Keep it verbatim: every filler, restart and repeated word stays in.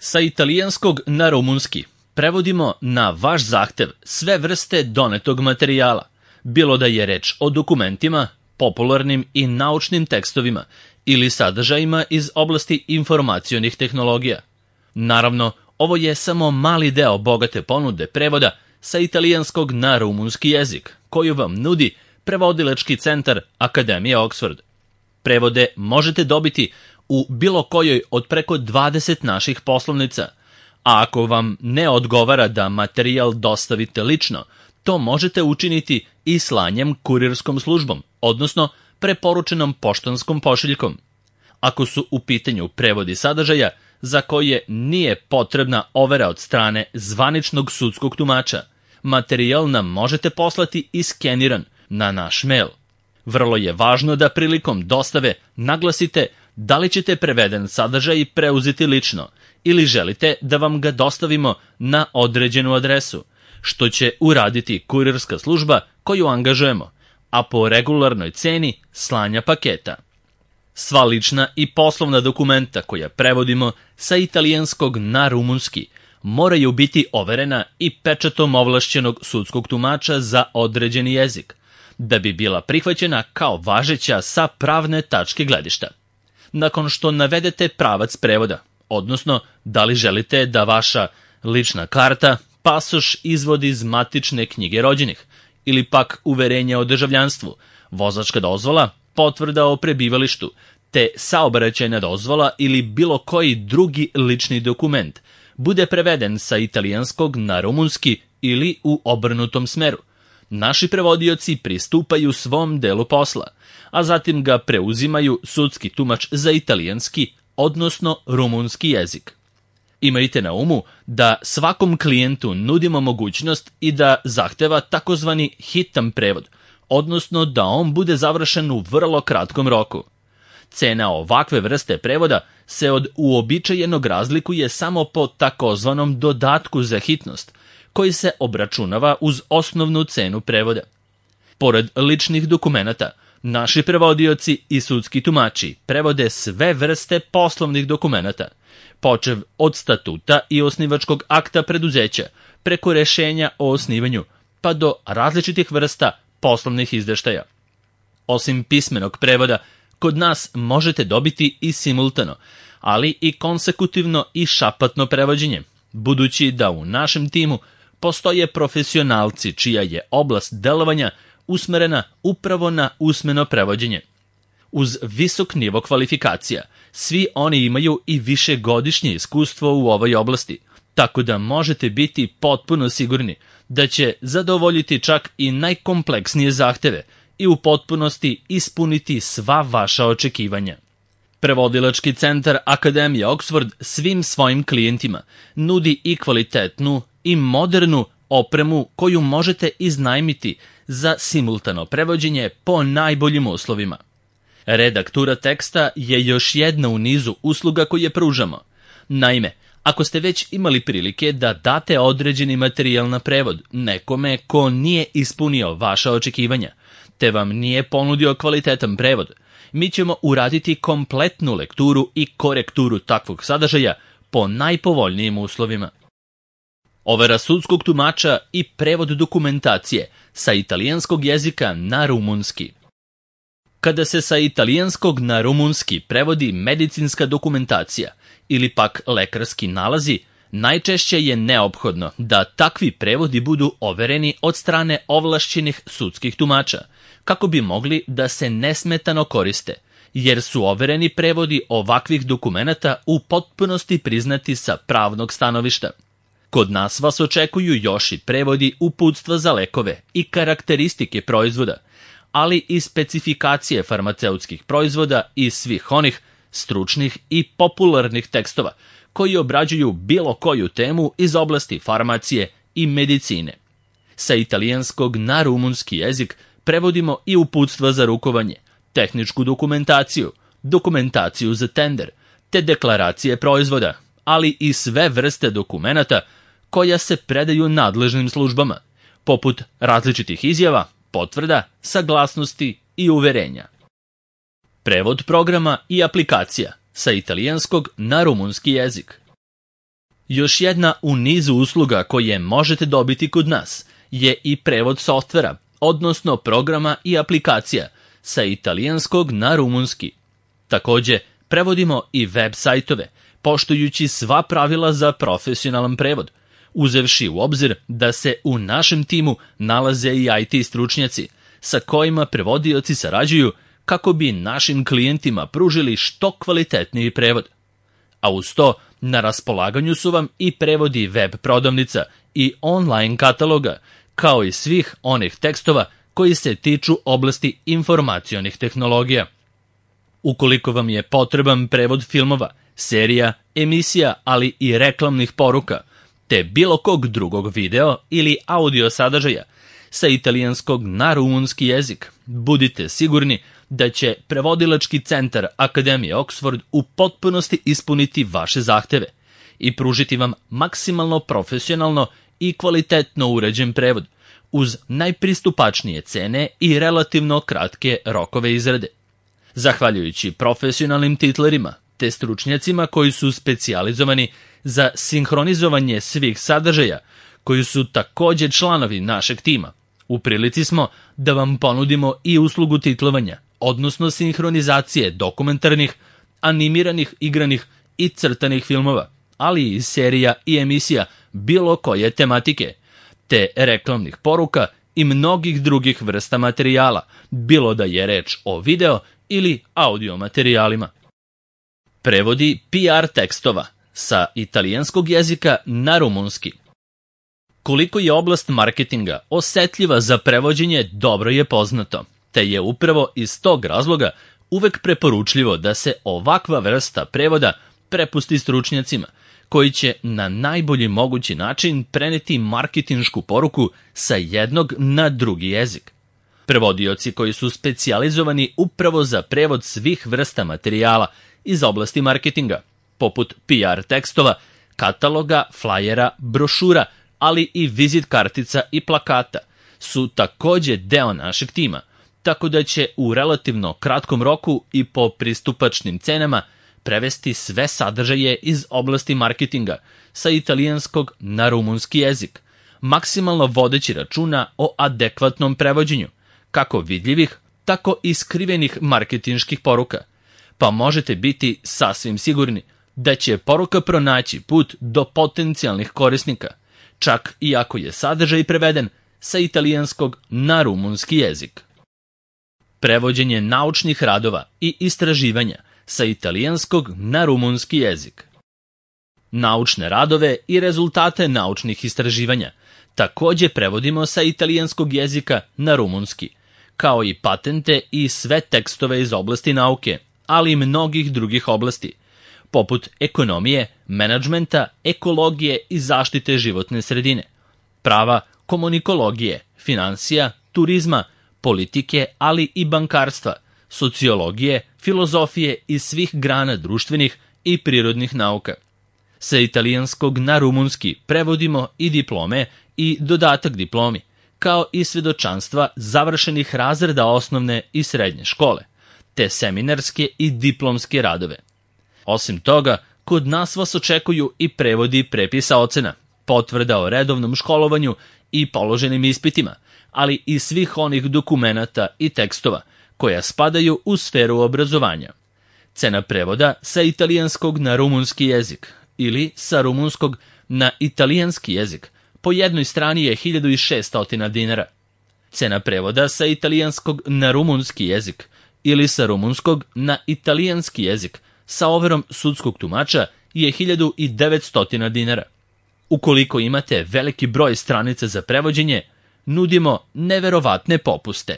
Sa italijanskog na rumunski prevodimo na vaš zahtev sve vrste donetog materijala, bilo da je reč o dokumentima, popularnim i naučnim tekstovima ili sadržajima iz oblasti informacionih tehnologija. Naravno, ovo je samo mali deo bogate ponude prevoda sa italijanskog na rumunski jezik, koju vam nudi prevodilački centar Akademije Oxford. Prevode možete dobiti u bilo kojoj od preko dvadeset naših poslovnica, a ako vam ne odgovara da materijal dostavite lično, to možete učiniti i slanjem kurirskom službom, odnosno preporučenom poštanskom pošiljkom. Ako su u pitanju prevodi sadržaja za koje nije potrebna overa od strane zvaničnog sudskog tumača, materijal nam možete poslati i skeniran na naš mail. Vrlo je važno da prilikom dostave naglasite da li ćete preveden sadržaj preuzeti lično ili želite da vam ga dostavimo na određenu adresu, što će uraditi kurirska služba koju angažujemo, a po regularnoj ceni slanja paketa. Sva lična i poslovna dokumenta koja prevodimo sa italijanskog na rumunski moraju biti overena i pečatom ovlašćenog sudskog tumača za određeni jezik, da bi bila prihvaćena kao važeća sa pravne tačke gledišta. Nakon što navedete pravac prevoda, odnosno da li želite da vaša lična karta, pasoš, izvod iz matične knjige rođenih ili pak uverenje o državljanstvu, vozačka dozvola, potvrda o prebivalištu, te saobraćajna dozvola ili bilo koji drugi lični dokument bude preveden sa italijanskog na rumunski ili u obrnutom smeru. Naši prevodioci pristupaju svom delu posla, a zatim ga preuzimaju sudski tumač za italijanski, odnosno rumunski jezik. Imajte na umu da svakom klijentu nudimo mogućnost i da zahteva takozvani hitan prevod, odnosno da on bude završen u vrlo kratkom roku. Cena ovakve vrste prevoda se od uobičajenog razlikuje samo po takozvanom dodatku za hitnost, koji se obračunava uz osnovnu cenu prevoda. Pored ličnih dokumenata, naši prevodioci i sudski tumači prevode sve vrste poslovnih dokumenata, počev od statuta i osnivačkog akta preduzeća, preko rešenja o osnivanju, pa do različitih vrsta poslovnih izveštaja. Osim pismenog prevoda, kod nas možete dobiti i simultano, ali i konsekutivno i šapatno prevođenje, budući da u našem timu postoje profesionalci čija je oblast delovanja usmerena upravo na usmeno prevođenje. Uz visok nivo kvalifikacija, svi oni imaju i višegodišnje iskustvo u ovoj oblasti, tako da možete biti potpuno sigurni da će zadovoljiti čak i najkompleksnije zahteve i u potpunosti ispuniti sva vaša očekivanja. Prevodilački centar Akademije Oxford svim svojim klijentima nudi i kvalitetnu i modernu opremu koju možete iznajmiti za simultano prevođenje po najboljim uslovima. Redaktura teksta je još jedna u nizu usluga koje pružamo. Naime, ako ste već imali prilike da date određeni materijal na prevod nekome ko nije ispunio vaša očekivanja, te vam nije ponudio kvalitetan prevod, mi ćemo uraditi kompletnu lekturu i korekturu takvog sadržaja po najpovoljnijim uslovima. Overa sudskog tumača i prevod dokumentacije sa italijanskog jezika na rumunski. Kada se sa italijanskog na rumunski prevodi medicinska dokumentacija ili pak lekarski nalazi, najčešće je neophodno da takvi prevodi budu overeni od strane ovlašćenih sudskih tumača, kako bi mogli da se nesmetano koriste, jer su overeni prevodi ovakvih dokumenata u potpunosti priznati sa pravnog stanovišta. Kod nas vas očekuju još i prevodi uputstva za lekove i karakteristike proizvoda, ali i specifikacije farmaceutskih proizvoda i svih onih stručnih i popularnih tekstova koji obrađuju bilo koju temu iz oblasti farmacije i medicine. Sa italijanskog na rumunski jezik prevodimo i uputstva za rukovanje, tehničku dokumentaciju, dokumentaciju za tender, te deklaracije proizvoda, ali i sve vrste dokumenata koja se predaju nadležnim službama, poput različitih izjava, potvrda, saglasnosti i uverenja. Prevod programa i aplikacija sa italijanskog na rumunski jezik. Još jedna u nizu usluga koje možete dobiti kod nas je i prevod softvera, odnosno programa i aplikacija, sa italijanskog na rumunski. Takođe, prevodimo i web sajtove, poštujući sva pravila za profesionalan prevod, uzevši u obzir da se u našem timu nalaze i I T stručnjaci, sa kojima prevodioci sarađuju kako bi našim klijentima pružili što kvalitetniji prevod. A uz to, na raspolaganju su vam i prevodi web prodavnica i online kataloga, kao i svih onih tekstova koji se tiču oblasti informacionih tehnologija. Ukoliko vam je potreban prevod filmova, serija, emisija, ali i reklamnih poruka, te bilo kog drugog video ili audio sadržaja sa italijanskog na rumunski jezik, budite sigurni da će prevodilački centar Akademije Oxford u potpunosti ispuniti vaše zahteve i pružiti vam maksimalno profesionalno i kvalitetno uređen prevod, uz najpristupačnije cene i relativno kratke rokove izrade. Zahvaljujući profesionalnim titlerima te stručnjacima koji su specijalizovani za sinhronizovanje svih sadržaja, koji su takođe članovi našeg tima, u prilici smo da vam ponudimo i uslugu titlovanja, odnosno sinhronizacije dokumentarnih, animiranih, igranih i crtanih filmova, ali i serija i emisija bilo koje tematike, te reklamnih poruka i mnogih drugih vrsta materijala, bilo da je reč o video ili audio materijalima. Prevodi P R tekstova sa italijanskog jezika na rumunski. Koliko je oblast marketinga osetljiva za prevođenje dobro je poznato, te je upravo iz tog razloga uvek preporučljivo da se ovakva vrsta prevoda prepusti stručnjacima, koji će na najbolji mogući način preneti marketinšku poruku sa jednog na drugi jezik. Prevodioci koji su specijalizovani upravo za prevod svih vrsta materijala iz oblasti marketinga, poput P R tekstova, kataloga, flajera, brošura, ali i vizit kartica i plakata, su takođe deo našeg tima, tako da će u relativno kratkom roku i po pristupačnim cenama prevesti sve sadržaje iz oblasti marketinga sa italijanskog na rumunski jezik, maksimalno vodeći računa o adekvatnom prevođenju, kako vidljivih, tako i skrivenih marketinških poruka, pa možete biti sasvim sigurni da će poruka pronaći put do potencijalnih korisnika, čak i ako je sadržaj preveden sa italijanskog na rumunski jezik. Prevođenje naučnih radova i istraživanja sa italijanskog na rumunski jezik. Naučne radove i rezultate naučnih istraživanja takođe prevodimo sa italijanskog jezika na rumunski, kao i patente i sve tekstove iz oblasti nauke, ali i mnogih drugih oblasti, poput ekonomije, menadžmenta, ekologije i zaštite životne sredine, prava, komunikologije, finansija, turizma, politike, ali i bankarstva, sociologije, filozofije i svih grana društvenih i prirodnih nauka. Sa italijanskog na rumunski prevodimo i diplome i dodatak diplomi, kao i svedočanstva završenih razreda osnovne i srednje škole, te seminarske i diplomske radove. Osim toga, kod nas vas očekuju i prevodi prepisa ocena, potvrda o redovnom školovanju i položenim ispitima, ali i svih onih dokumenata i tekstova koja spadaju u sferu obrazovanja. Cena prevoda sa italijanskog na rumunski jezik ili sa rumunskog na italijanski jezik po jednoj strani je hiljadu šessto dinara. Cena prevoda sa italijanskog na rumunski jezik ili sa rumunskog na italijanski jezik sa overom sudskog tumača je hiljadu devetsto dinara. Ukoliko imate veliki broj stranica za prevođenje, nudimo neverovatne popuste.